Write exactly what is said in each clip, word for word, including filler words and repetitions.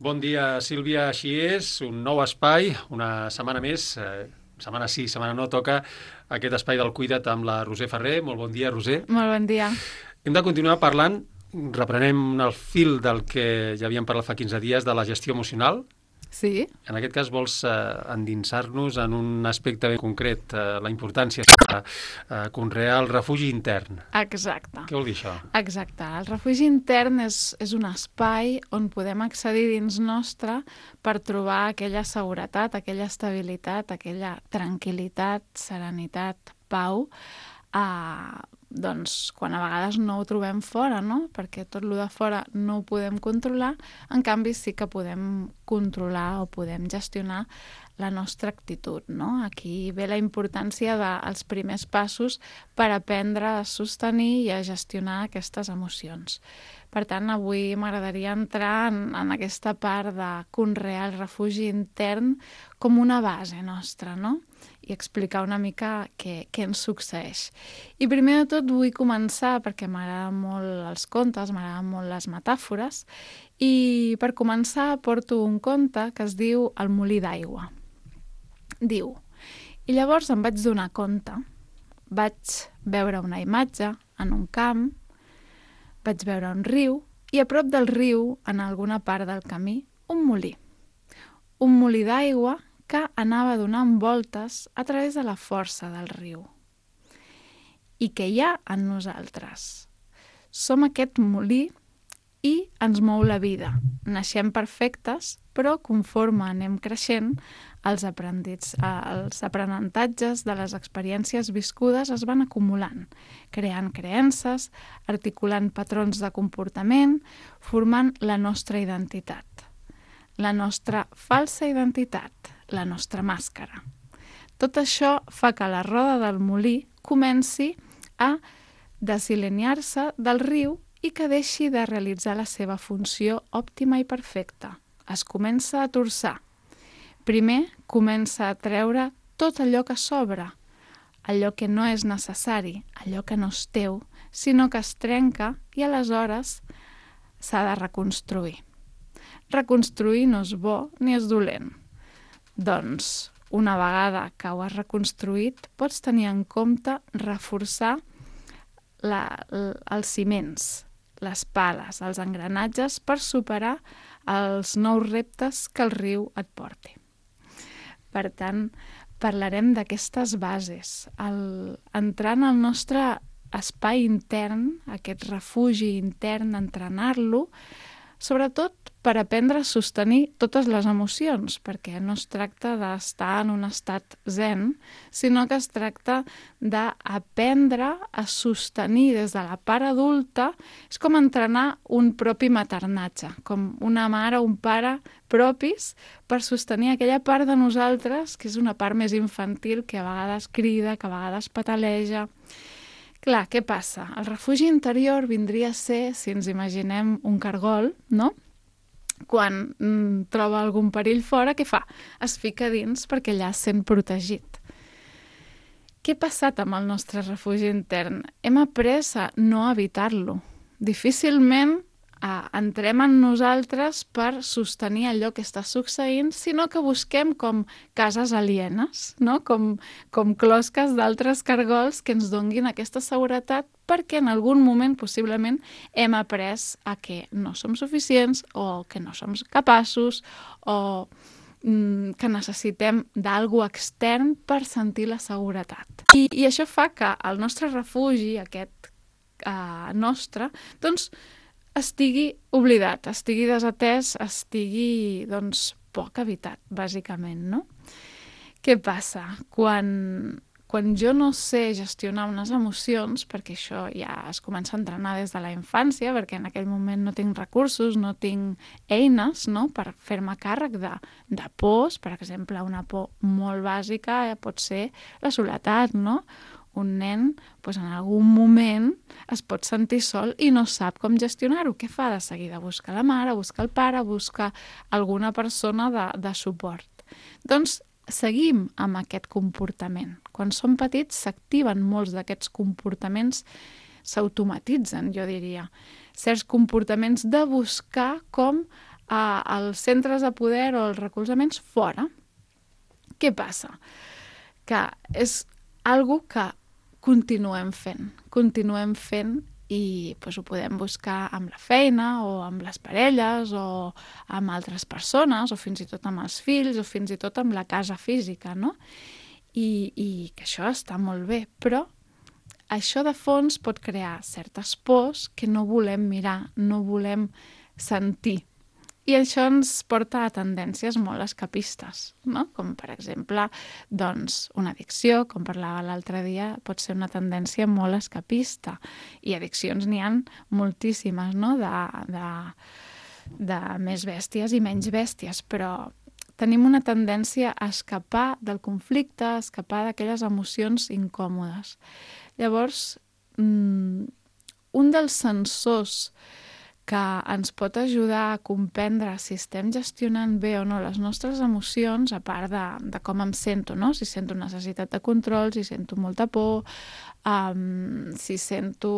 Bon dia, Sílvia. Així és, un nou espai, una setmana més, eh, setmana sí, setmana no, toca aquest espai del Cuida't amb la Roser Ferrer. Molt bon dia, Roser. Molt bon dia. Hem de continuar parlant, reprenem el fil del que ja havíem parlat fa quinze dies, de la gestió emocional. Sí, En aquest cas vols eh, endinsar-nos en un aspecte ben concret, eh, la importància de eh, conrear el refugi intern. exacte. Què vol dir això? Exacte. El refugi intern és, és un espai on podem accedir dins nostre per trobar aquella seguretat, aquella estabilitat, aquella tranquil·litat, serenitat, pau, eh, doncs quan a vegades no ho trobem fora, no? Perquè tot el de fora no ho podem controlar, en canvi sí que podem controlar o podem gestionar la nostra actitud, no? Aquí ve la importància dels primers passos per aprendre a sostenir i a gestionar aquestes emocions. Per tant, avui m'agradaria entrar en, en aquesta part de conrear el refugi intern com una base nostra, no? I explicar una mica què, què ens succeeix. I primer de tot vull començar, perquè m'agraden molt els contes, m'agraden molt les metàfores, i per començar porto un conte que es diu El molí d'aigua. Diu, i llavors em vaig donar compte, vaig veure una imatge en un camp, vaig veure un riu, i a prop del riu, en alguna part del camí, un molí. Un molí d'aigua que anava donant voltes a través de la força del riu. I què hi ha en nosaltres? Som aquest molí i ens mou la vida. Naixem perfectes, però conforme anem creixent, els, aprendits, els aprenentatges de les experiències viscudes es van acumulant, creant creences, articulant patrons de comportament, formant la nostra identitat. La nostra falsa identitat, la nostra màscara. Tot això fa que la roda del molí comenci a desalinear-se del riu i que deixi de realitzar la seva funció òptima i perfecta. Es comença a torçar. Primer comença a treure tot allò que sobra, allò que no és necessari, allò que no és teu, sinó que es trenca i aleshores s'ha de reconstruir. Reconstruir no és bo ni és dolent. Doncs, una vegada que ho has reconstruït, pots tenir en compte reforçar la, els ciments, les pales, els engranatges per superar els nous reptes que el riu et porti. Per tant, parlarem d'aquestes bases. El, entrant al nostre espai intern, aquest refugi intern, entrenar-lo, sobretot per aprendre a sostenir totes les emocions, perquè no es tracta d'estar en un estat zen, sinó que es tracta d'aprendre a sostenir des de la part adulta. És com entrenar un propi maternatge, com una mare o un pare propis per sostenir aquella part de nosaltres, que és una part més infantil, que a vegades crida, que a vegades pataleja. Clar, què passa? El refugi interior vindria a ser, si ens imaginem un cargol, no? Quan mm, troba algun perill fora, què fa? Es fica dins perquè allà es sent protegit. Què ha passat amb el nostre refugi intern? Hem après a no evitar-lo. Difícilment eh, entrem en nosaltres per sostenir allò que està succeint, sinó que busquem com cases alienes, no? com, com closques d'altres cargols que ens donguin aquesta seguretat, perquè en algun moment possiblement hem après a que no som suficients o que no som capaços o mm, que necessitem d'algo extern per sentir la seguretat. I, i això fa que el nostre refugi, aquest eh, nostre, doncs estigui oblidat, estigui desatès, estigui doncs, poc habitat, bàsicament, no? Què passa? Quan... Quan jo no sé gestionar unes emocions, perquè això ja es comença a entrenar des de la infància, perquè en aquell moment no tinc recursos, no tinc eines, no?, per fer-me càrrec de, de pors, per exemple, una por molt bàsica eh, pot ser la soledat, no? Un nen doncs, en algun moment es pot sentir sol i no sap com gestionar-ho. Què fa? De seguida busca la mare, busca el pare, busca alguna persona de, de suport. Doncs seguim amb aquest comportament. Quan som petits s'activen molts d'aquests comportaments, s'automatitzen, jo diria. Certs comportaments de buscar com uh, els centres de poder o els recolzaments fora. Què passa? Que és algo que continuem fent, continuem fent i doncs, ho podem buscar amb la feina o amb les parelles o amb altres persones o fins i tot amb els fills o fins i tot amb la casa física, no? I, i que això està molt bé, però això de fons pot crear certes pors que no volem mirar, no volem sentir. I això ens porta a tendències molt escapistes, no? Com per exemple, doncs, una addicció, com parlava l'altre dia, pot ser una tendència molt escapista. I addiccions n'hi ha moltíssimes, no? De, de, de més bèsties i menys bèsties, però tenim una tendència a escapar del conflicte, a escapar d'aquelles emocions incòmodes. Llavors, un dels sensors que ens pot ajudar a comprendre si estem gestionant bé o no les nostres emocions, a part de, de com em sento, no? Si sento necessitat de control, si sento molta por, um, si sento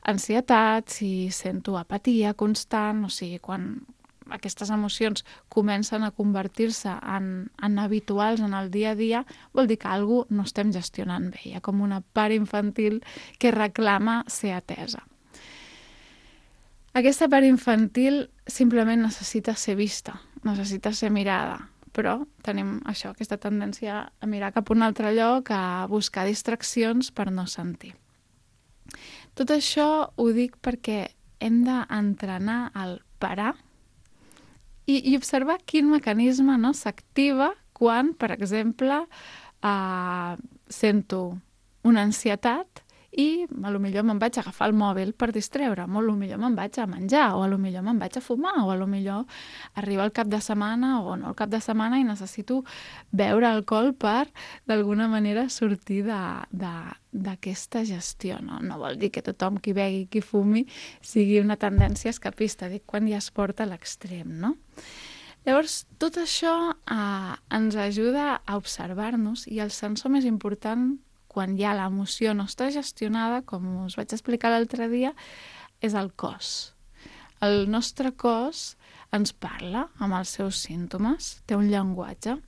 ansietat, si sento apatia constant, o sigui, quan aquestes emocions comencen a convertir-se en, en habituals en el dia a dia, vol dir que alguna cosa no estem gestionant bé. Hi ha com una part infantil que reclama ser atesa. Aquesta part infantil simplement necessita ser vista, necessita ser mirada, però tenim això, aquesta tendència a mirar cap a un altre lloc, a buscar distraccions per no sentir. Tot això ho dic perquè hem d'entrenar el parar i, i observar quin mecanisme, no, s'activa quan, per exemple, eh, sento una ansietat i potser me'n vaig a agafar el mòbil per distreure'm, o potser me'n vaig a menjar, o potser me'n vaig a fumar, o potser arriba el cap de setmana o no el cap de setmana i necessito beure alcohol per, d'alguna manera, sortir d'aquesta gestió. No? no vol dir que tothom qui begui i qui fumi sigui una tendència escapista, dic quan ja es porta a l'extrem, no? Llavors, tot això eh, ens ajuda a observar-nos i el sensor més important quan ja l'emoció no està gestionada, com us vaig explicar l'altre dia, és el cos. El nostre cos ens parla amb els seus símptomes, té un llenguatge.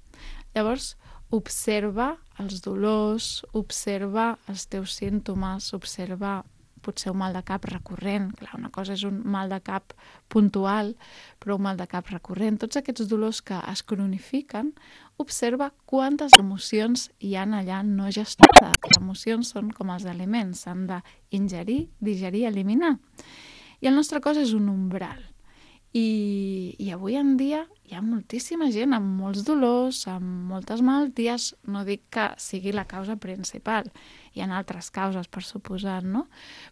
Llavors, observa els dolors, observa els teus símptomes, observa potser un mal de cap recurrent. Clar, una cosa és un mal de cap puntual, però un mal de cap recurrent. Tots aquests dolors que es cronifiquen, observa quantes emocions hi ha allà no gestionades. Les emocions són com els aliments, s'han d'ingerir, digerir, eliminar. I el nostre cos és un umbral. I, i avui en dia hi ha moltíssima gent amb molts dolors, amb moltes malalties. No dic que sigui la causa principal, hi ha altres causes, per suposar, no?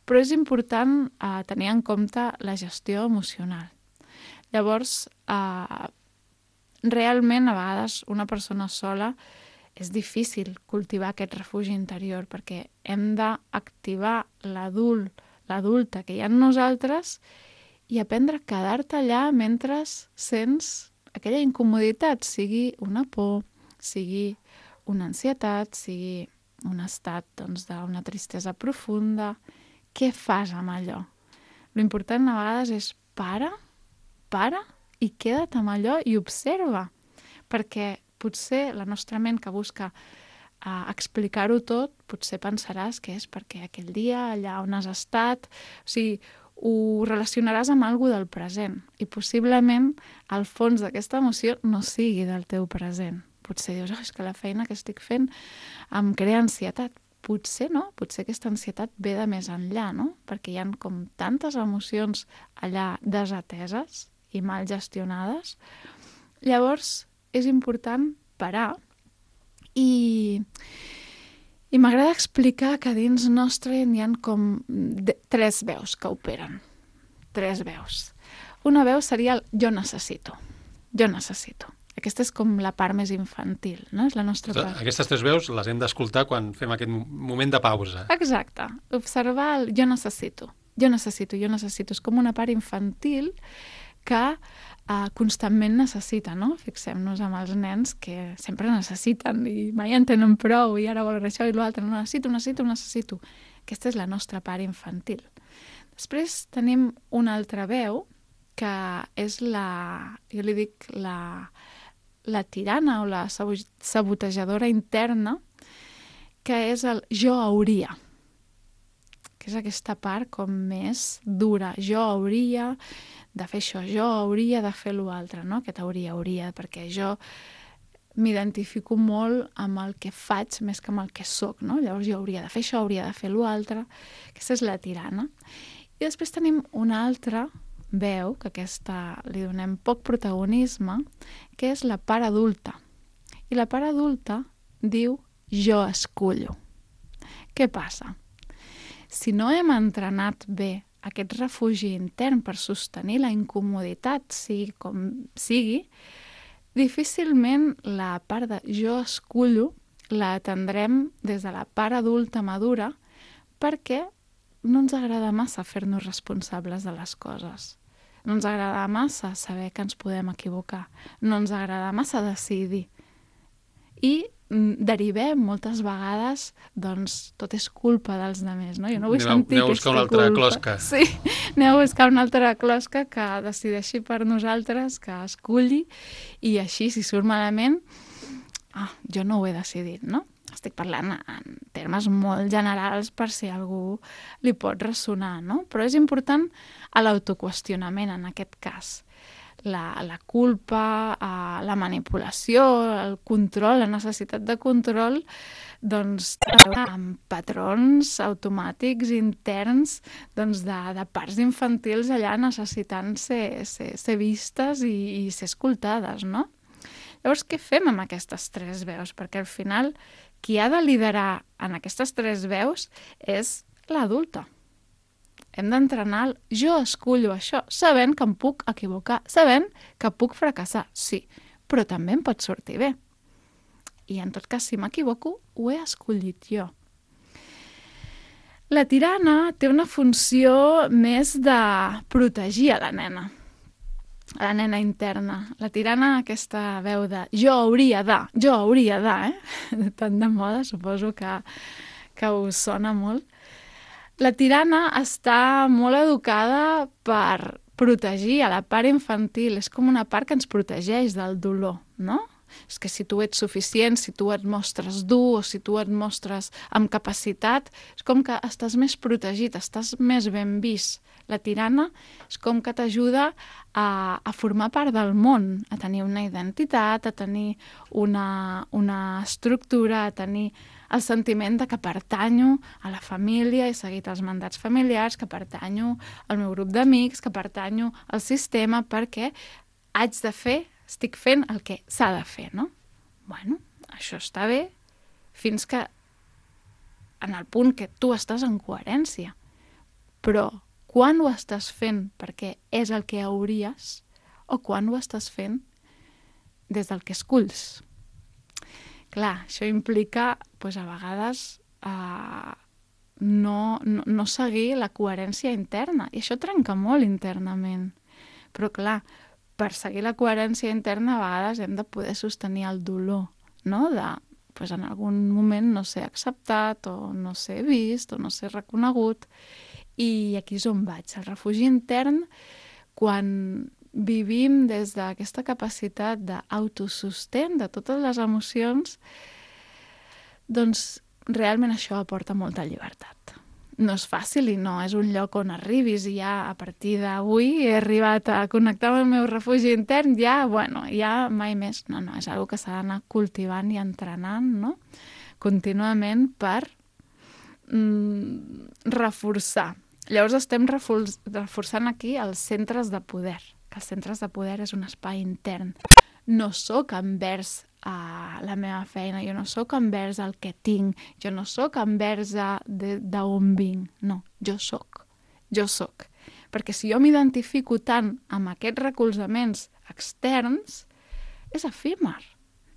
Però és important eh, tenir en compte la gestió emocional. Llavors, eh, realment, a vegades, una persona sola és difícil cultivar aquest refugi interior perquè hem d'activar l'adult, l'adulta que hi ha en nosaltres i aprendre a quedar-te allà mentre sents aquella incomoditat, sigui una por, sigui una ansietat, sigui un estat doncs, d'una tristesa profunda. Què fas amb allò? L'important a vegades és para, para i queda't amb allò i observa, perquè potser la nostra ment que busca uh, explicar-ho tot, potser pensaràs que és perquè aquell dia, allà on has estat, o sigui, ho relacionaràs amb alguna del present i possiblement el fons d'aquesta emoció no sigui del teu present. Potser dius, oh, és que la feina que estic fent em crea ansietat. Potser no, potser aquesta ansietat ve de més enllà, no? Perquè hi ha com tantes emocions allà desateses i mal gestionades. Llavors, és important parar i... I m'agrada explicar que dins nostre hi ha com de, tres veus que operen. Tres veus. Una veu seria el jo necessito. Jo necessito. Aquesta és com la part més infantil, no? És la nostra part. Aquestes tres veus les hem d'escoltar quan fem aquest moment de pausa. Exacte. Observar el jo necessito. Jo necessito, jo necessito. És com una part infantil que uh, constantment necessita, no? Fixem-nos amb els nens que sempre necessiten i mai en tenen prou i ara volen això i l'altre. No, necessito, necessito, necessito. Aquesta és la nostra part infantil. Després tenim una altra veu que és la, jo li dic la, la tirana o la sabotejadora interna, que és el jo hauria, que és aquesta part com més dura. Jo hauria de fer això, jo hauria de fer l'altre, no? Aquest hauria, hauria, perquè jo m'identifico molt amb el que faig més que amb el que soc, no? Llavors jo hauria de fer això, hauria de fer l'altre. Aquesta és la tirana. I després tenim una altra veu, que aquesta li donem poc protagonisme, que és la part adulta. I la part adulta diu jo escullo. Què passa? Si no hem entrenat bé aquest refugi intern per sostenir la incomoditat, sigui com sigui, difícilment la part de jo escullo la atendrem des de la part adulta madura perquè no ens agrada massa fer-nos responsables de les coses. No ens agrada massa saber que ens podem equivocar. No ens agrada massa decidir. I derivem moltes vegades, doncs, tot és culpa dels altres, no? Jo no vull aneu, sentir aneu aquesta culpa. Aneu a buscar una altra culpa. closca. Sí, aneu a buscar una altra closca que decideixi per nosaltres, que esculli, i així, si surt malament, ah, jo no ho he decidit, no? Estic parlant en termes molt generals per si algú li pot ressonar, no? Però és important l'autoqüestionament en aquest cas. La, la culpa, eh, la manipulació, el control, la necessitat de control, doncs, amb patrons automàtics interns doncs, de, de parts infantils allà necessitant ser, ser, ser vistes i, i ser escoltades, no? Llavors, què fem amb aquestes tres veus? Perquè al final qui ha de liderar en aquestes tres veus és l'adulta. Hem d'entrenar el jo escullo això, sabent que em puc equivocar, sabent que puc fracassar, sí, però també em pot sortir bé. I en tot cas, si m'equivoco, ho he escollit jo. La tirana té una funció més de protegir a la nena, a la nena interna. La tirana, aquesta veu de jo hauria de, jo hauria de, eh? Tant de moda, suposo que, que us sona molt. La tirana està molt educada per protegir a la part infantil. És com una part que ens protegeix del dolor, no? És que si tu ets suficient, si tu et mostres dur o si tu et mostres amb capacitat, és com que estàs més protegit, estàs més ben vist. La tirana és com que t'ajuda a, a formar part del món, a tenir una identitat, a tenir una, una estructura, a tenir el sentiment de que pertanyo a la família, he seguit els mandats familiars, que pertanyo al meu grup d'amics, que pertanyo al sistema, perquè haig de fer, estic fent el que s'ha de fer, no? Bueno, això està bé fins que en el punt que tu estàs en coherència. Però quan ho estàs fent perquè és el que hauries o quan ho estàs fent des del que esculls? Clar, això implica, doncs, a vegades, eh, no, no, no seguir la coherència interna. I això trenca molt internament. Però, clar, per seguir la coherència interna, a vegades hem de poder sostenir el dolor, no? De, doncs, en algun moment no ser acceptat, o no ser vist, o no ser reconegut. I aquí és on vaig. El refugi intern, quan vivim des d'aquesta capacitat d'autosustent de totes les emocions, doncs realment això aporta molta llibertat. No és fàcil i no és un lloc on arribis i ja a partir d'avui he arribat a connectar amb el meu refugi intern, ja, bueno, ja mai més. No, no, és una cosa que s'ha d'anar cultivant i entrenant, no? Contínuament per mm, reforçar. Llavors estem reforçant aquí els centres de poder, que els centres de poder és un espai intern. No sóc envers a la meva feina, jo no sóc envers el que tinc, jo no sóc envers d'on vinc, no, jo sóc, jo sóc. Perquè si jo m'identifico tant amb aquests recolzaments externs, és efímer,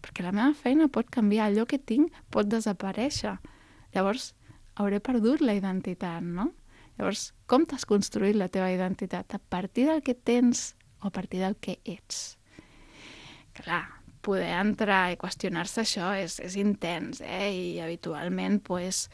perquè la meva feina pot canviar, allò que tinc pot desaparèixer. Llavors hauré perdut la identitat, no? Llavors, com t'has construït la teva identitat? A partir del que tens o a partir del que ets? Clar, poder entrar i qüestionar-se això és, és intens, eh? I habitualment, pues,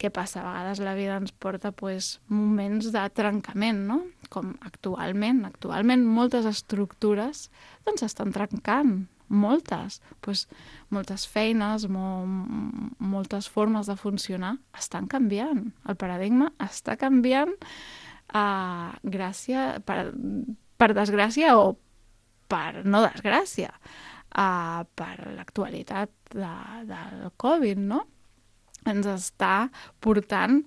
què passa? A vegades la vida ens porta pues, moments de trencament, no? com actualment, actualment moltes estructures doncs s'estan trencant, moltes. Pues, moltes feines, mo, moltes formes de funcionar estan canviant. El paradigma està canviant uh, gràcia, per, per desgràcia o per no desgràcia, uh, per l'actualitat de, del Covid, no? Ens està portant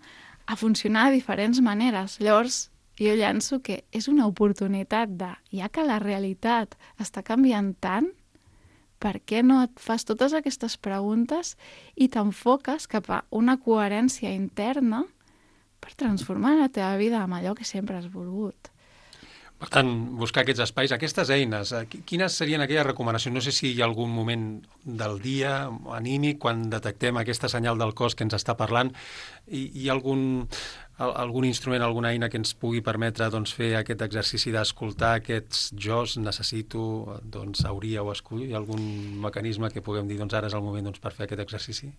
a funcionar de diferents maneres. Llavors, jo llanço que és una oportunitat de, ja que la realitat està canviant tant, per què no et fas totes aquestes preguntes i t'enfoques cap a una coherència interna per transformar la teva vida amb allò que sempre has volgut? Per tant, buscar aquests espais, aquestes eines, quines serien aquelles recomanacions? No sé si hi ha algun moment del dia anímic, quan detectem aquesta senyal del cos que ens està parlant, i hi ha algun, algun instrument, alguna eina que ens pugui permetre doncs, fer aquest exercici d'escoltar aquests jos, necessito, doncs, hauria o escull? Hi ha algun mecanisme que puguem dir, doncs ara és el moment doncs, per fer aquest exercici?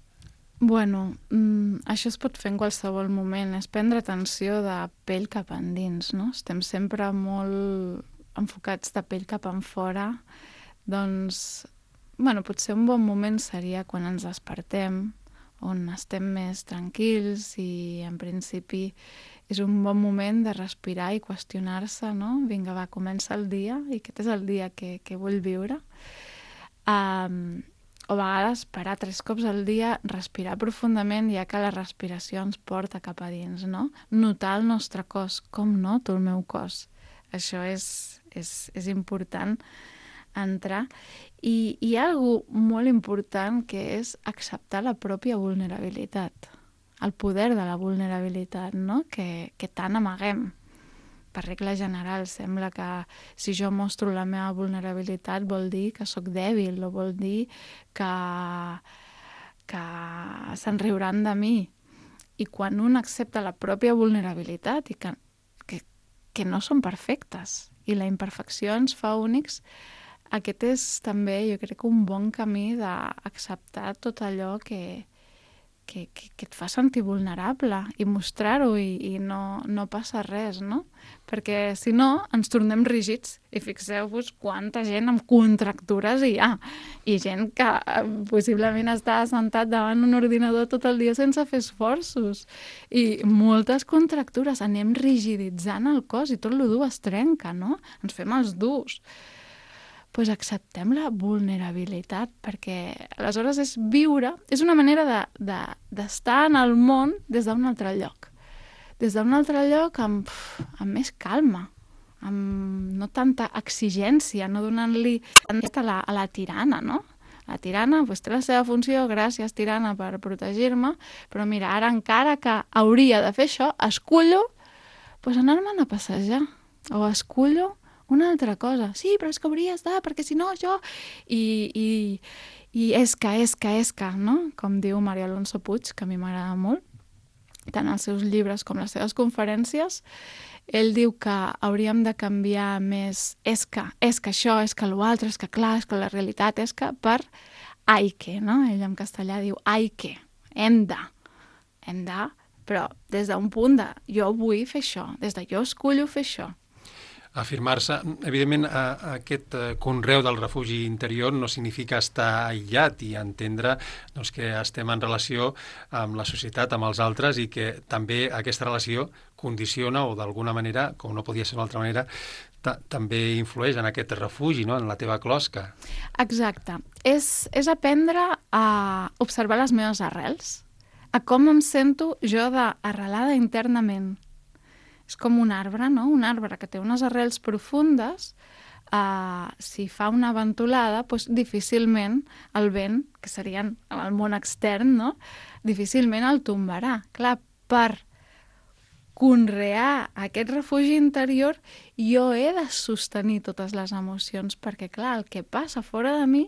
Bueno, mm, això es pot fer en qualsevol moment, és prendre atenció de pell cap endins, no? Estem sempre molt enfocats de pell cap enfora, doncs, bueno, potser un bon moment seria quan ens despertem, on estem més tranquils i en principi és un bon moment de respirar i qüestionar-se, no? Vinga, va, comença el dia i aquest és el dia que, que vull viure. Um, o a vegades parar tres cops al dia, respirar profundament, ja que la respiració ens porta cap a dins, no? Notar el nostre cos, com noto el meu cos. Això és, és, és important entrar. I hi ha alguna molt important que és acceptar la pròpia vulnerabilitat, el poder de la vulnerabilitat, no? Que, que tant amaguem. Per regla general, sembla que si jo mostro la meva vulnerabilitat vol dir que sóc dèbil o vol dir que, que se'n riuran de mi. I quan un accepta la pròpia vulnerabilitat i que, que, que no són perfectes i la imperfecció ens fa únics, aquest és també, jo crec, un bon camí d'acceptar tot allò que, que, que, que et fa sentir vulnerable i mostrar-ho i, i no, no passa res, no? Perquè si no ens tornem rígids i fixeu-vos quanta gent amb contractures hi ha i gent que possiblement està sentat davant un ordinador tot el dia sense fer esforços i moltes contractures, anem rigiditzant el cos i tot lo dur es trenca, no? Ens fem els durs. Doncs acceptem la vulnerabilitat, perquè aleshores és viure, és una manera de, de, d'estar en el món des d'un altre lloc. Des d'un altre lloc amb, amb més calma, amb no tanta exigència, no donant-li tant a la, a la tirana, no? La tirana pues, té la seva funció, gràcies tirana per protegir-me, però mira, ara encara que hauria de fer això, escullo pues, anar-me'n a passejar, o escullo una altra cosa. Sí, però és que hauries de, perquè si no jo... I, i, i esca, esca, esca, no? Com diu Mario Alonso Puig, que a mi m'agrada molt, tant els seus llibres com les seves conferències, ell diu que hauríem de canviar més esca, esca això, esca l'altre, esca clar, esca la realitat, esca per hay que, no? Ell en castellà diu hay que, hem de, hem de, però des d'un punt de jo vull fer això, des de jo escullo fer això. Afirmar-se, evidentment, a, a aquest conreu del refugi interior no significa estar aïllat i entendre doncs, que estem en relació amb la societat, amb els altres, i que també aquesta relació condiciona o d'alguna manera, com no podia ser d'una altra manera, ta- també influeix en aquest refugi, no? En la teva closca. Exacte. És, és aprendre a observar les meves arrels, a com em sento jo d'arrelada internament. És com un arbre, no? Un arbre que té unes arrels profundes, uh, si fa una ventolada, doncs difícilment el vent, que serien el món extern, no? Difícilment el tombarà. Clar, per conrear aquest refugi interior, jo he de sostenir totes les emocions, perquè, clar, el que passa fora de mi,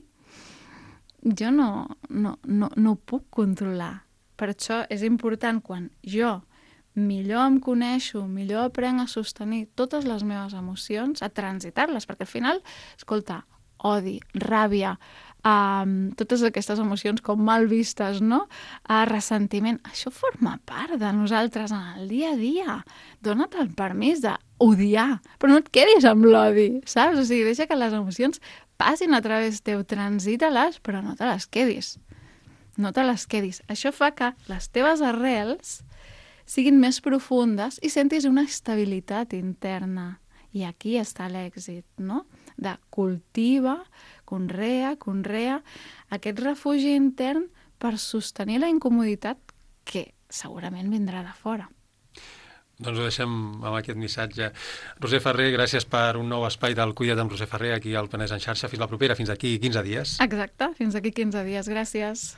jo no, no, no, no ho puc controlar. Per això és important quan jo millor em coneixo, millor aprenc a sostenir totes les meves emocions, a transitar-les, perquè al final, escolta, odi, ràbia, Um, totes aquestes emocions com mal vistes, no? Uh, ressentiment, això forma part de nosaltres en el dia a dia. Dóna't el permís d'odiar, però no et quedis amb l'odi, saps? O sigui, deixa que les emocions passin a través teu, transita-les, però no te les quedis. No te les quedis. Això fa que les teves arrels siguin més profundes i sentis una estabilitat interna. I aquí està l'èxit, no? De cultiva, conrea, conrea aquest refugi intern per sostenir la incomoditat que segurament vindrà de fora. Doncs ho deixem amb aquest missatge. Roser Ferrer, gràcies per un nou espai del Cuida't amb Roser Ferrer aquí al Penedès en xarxa. Fins la propera, fins aquí quinze dies. Exacte, fins aquí quinze dies. Gràcies.